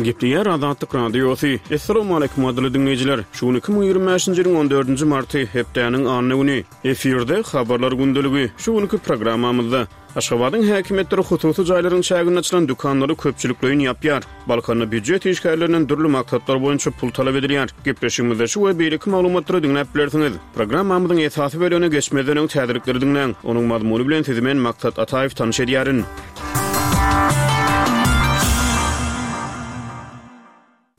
Gepleýär Azatlyk Radiosy. Assalamualaikum gadyrly diňleýjiler. Şu gün 2025-nji ýylyň 14-nji marty, hepdäniň anna güni. Efirde Habarlar gündeligi. Şu günki programmamyzda Aşgabadyň häkimiýetleri hususy jaýlaryň çäginde açylan dükanlary köpçülikleýin ýapýar. Balkanda býujet işgärlerinden dürli maksatlar boýunça pul talap edilýär. Gepleşigimizde şu we beýleki maglumatlary diňläp bilersiňiz. Programmamyzyň esasy bölegine geçmezden öň täzelikleri diňläň. Onuň mazmuny bilen sizi men Maksat Ataýew tanyş edýärin.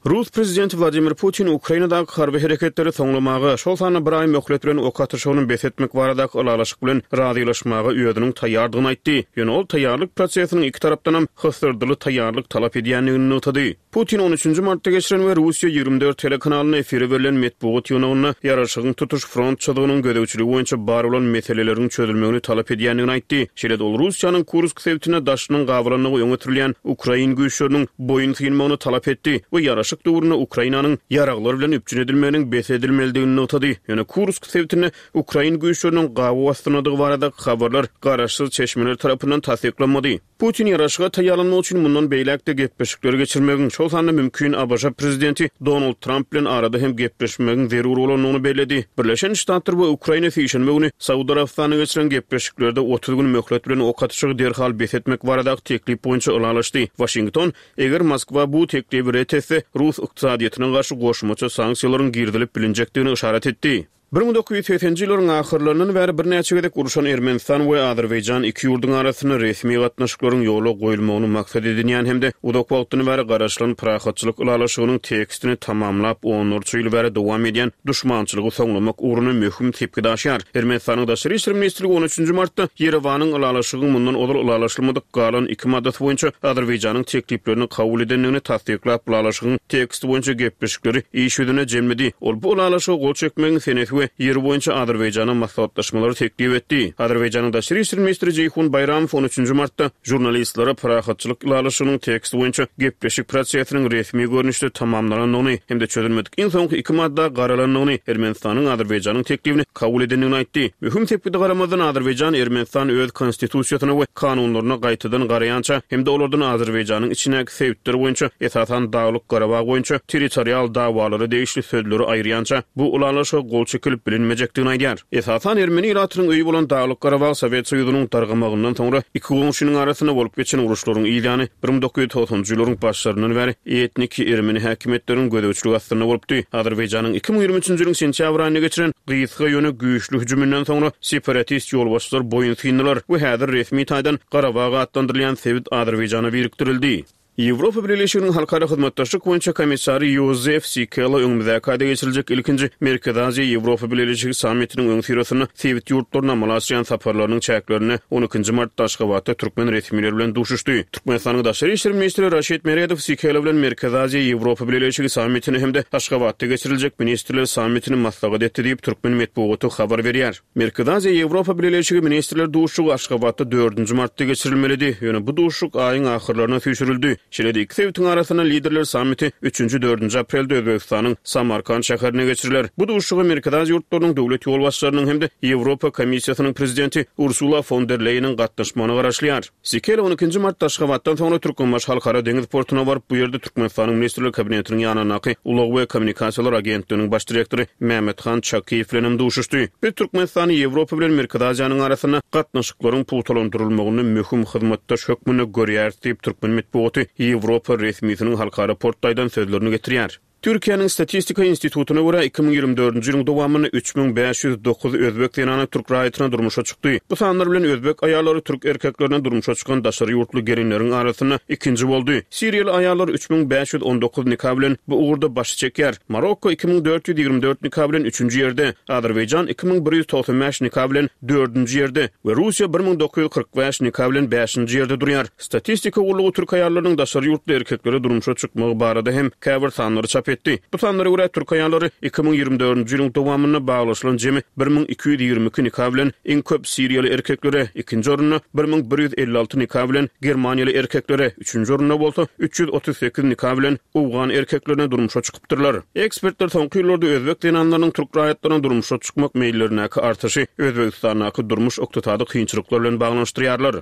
Rus prezidenti Wladimir Putin Ukrainadaky harby hereketleri soňlamaga, şol sanda bir aý möhlet bilen ok atyşygyny bes etmek baradaky ylalaşyk bilen razylaşmaga özüniň taýýardygyny aýtdy. Ýöne ol taýýarlyk prosesiniň iki tarapdanam hysyrdyly taýýarlyk talap edýändigini nygtady. Putin on üçünji martda geçiren we Russiýa 24 telekanalynda efire berlen metbugat ýygnagynda ýaraşygyň tutuş front çyzygynyň gözegçiligi boýunça bar bolan meseleleriň çözülmegini talap edýändigini aýtdy. Şeýle-de ol Russiýanyň Kursk sebitinde daşynyň gabalandygy öňe sürülýän ukrain güýçleriniň boýun synmagyny talap etdi we ýaraşyk döwründe Ukrainanyň ýaraglar bilen üpjün edilmeginiň bes edilmelidigini nygtady. Ýöne Kursk sebitinde ukrain güýçleriniň gabaw astyndadygy baradaky habarlar garaşsyz çeşmeler tarapyndan tassyklanmady. Putin ýaraşyga taýýarlanmak üçin mundan beýläk-de gepleşikleri geçirmegiň, şol sanda mümkin ABŞ prezidenti Donald Tramp bilen arada hem gepleşmegiň zerur bolandygyny belledi. Birleşen Ştatlar we Ukraina sişenbe güni Saud Arabystanda geçiren gepleşiklerde 30 gün möhlet bilen ok atyşygy derhal bes etmek baradaky teklip boýunça ylalaşdy. Waşington, eger Moskwa bu teklibi ret etse, rus ykdysadyýetine garşy goşmaça sanksiýalaryň girizilip bilinjekdigini yşarat etdi. 1980-nji ýyllaryň ahyrlaryndan bäri birnäçe gezek urşan Ermenistan we Azerbaýjan iki ýurduň arasynda resmi gatnaşyklaryň ýola goýulmagyny maksat edinýän hem-de uzak wagtdan bäri garaşylan parahatçylyk ylalaşygynyň tekstini tamamlap, onlarça ýyl bäri dowam edýän duşmançylygy soňlamak ugrunda möhüm sepgit aşýar. Ermenistanyň Daşary işler ministrligi on üçünji martda Ýerewanyň ylalaşygyň mundan ozal ylalaşylmadyk galan iki maddasy boýunça Azerbaýjanyň tekliplerini kabul edendigini tassyklap, ylalaşygyň teksti boýunça gepleşikleri iş ýüzünde jemledi. Ol bu ylalaşyga gol çekmegiň senesi we ýeri boýunça Azerbaýjana maslahatlaşmalary teklip etdi. Azerbaýjanyň daşary işler ministri Jeýhun Baýramow on üçünji martda žurnalistlere parahatçylyk ylalaşygynyň teksti boýunça gepleşik prosesiniň resmi görnüşde tamamlanandygyny hem-de çözülmedik iň soňky iki madda garalandygyny, Ermenistanyň Azerbaýjanyň teklibini kabul edendigini aýtdy. Möhüm sepgide garamazdan, Azerbaýjan Ermenistan öz konstitusiýasyna we kanunlaryna gaýtadan garaýança hem-de olardan Azerbaýjanyň içindäki sebitler boýunça, esasan Daglyk-Garabag boýunça territorial dawalara degişli sözleri aýyrýança bu ylalaşyga gol çekilip bilinmejekdigini aýdýar. Esasan ermeni ilatynyň öýi bolan Daglyk-Garabag Sowet Soýuzynyň dargamagyndan soňra iki goňşynyň arasynda bolup geçen uruşlaryň yz ýany 1990-njy ýyllaryň başlaryndan bäri etniki ermeni häkimiýetleriniň gözegçiligi astynda bolupdy. Azerbaýjanyň 2023-nji ýylyň sentýabr aýynda geçiren gysga ýöne güýçli hüjüminden soňra separatist ýolbaşçylar boýun syndylar we häzir resmi taýdan Garabag atlandyrylýan sebit Azerbaýjana birikdirildi. Ýewropa Bileleşiginiň Halkara hyzmatdaşlyk boýunça komissary Ýozef Sikela öňümizdäki aýda geçiriljek ilkinji Merkezi Aziýa-Ýewropa Bileleşigi sammitiniň öňüsyrasynda sebit ýurtlaryna amala aşyrýan saparlarynyň çäklerinde on ikinji martda Aşgabatda türkmen resmileri bilen duşuşdy. Türkmenistanyň daşary işler ministri Raşid Meredow Sikela bilen Merkezi Aziýa-Ýewropa Bileleşigi sammitini hem-de Aşgabatda geçiriljek ministrler sammitini maslahat etdi diýip, türkmen metbugaty habar berýär. Merkezi Aziýa-Ýewropa Bileleşigi ministrler duşuşygy Aşgabatda dördünji martda geçirilmelidi, ýöne bu duşuşyk aýyň ahyrlaryna süýşürildi. Şeýle-de iki sebitiň arasynda liderler sammiti üçünji-dördünji aprelde Özbegistanyň Samarkant şäherinde geçiriler. Bu duşuşyga Merkezi Aziýa ýurtlarynyň döwlet ýolbaşçylarynyň hem-de Ýewropa Komissiýasynyň prezidenti Ursula fon der Leýeniň gatnaşmagyna garaşylýar. Sikela on ikinji martda Aşgabatdan soňra Türkmenbaşy Halkara deňiz portuna baryp, bu ýerde Türkmenistanyň Ministrler Kabinetiniň ýanyndaky Ulag we kommunikasiýalar agentliginiň baş direktory Mämmethan Çakyýew bilen hem duşuşdy. Biz Türkmenistany Ýewropa bilen Merkezi Aziýanyň arasynda gatnaşyklaryň pugtalandyrylmagynda möhüm hyzmatdaş hökmünde görýäris diýip, türkmen metbugaty ýewropa resmisiniň halkara portda aýdan sözlerini getirýär. Türkiýäniň Statistika institutyna görä, 2024-nji ýylyň dowamynda 3509 özbek zenany türk raýatyna durmuşa çykdy. Bu sanlar bilen özbek aýallary türk erkeklerine durmuşa çykan daşary ýurtly gelinleriň arasynda ikinji boldy. Siriýaly aýallar 3519 nika bilen bu ugurda başy çekýär. Marokko 2424 nika bilen üçünji ýerde, Azerbaýjan 2195 nika bilen dördünji ýerde we Russiýa 1945 nika bilen bäşinji ýerde durýar. Statistika gullugy türk aýallarynyň daşary ýurtly erkeklere durmuşa çykmagy barada hem käbir sanlary çap etdi. Bu sanlara görä, türk aýallary 2024-nji ýylyň dowamynda baglaşylan jemi 1222 nika bilen iň köp siriýaly erkeklere, ikinji orunda 1156 nika bilen germaniýaly erkeklere, üçünji orunda bolsa 338 nika bilen owgan erkeklerine durmuşa çykypdyrlar. Ekspertler soňky ýyllarda özbek zenanlarynyň türk raýatlaryna durmuşa çykmak meýillerindäki artyşy Özbegistandaky durmuş-ykdysady kynçylyklar bilen baglanyşdyrýarlar.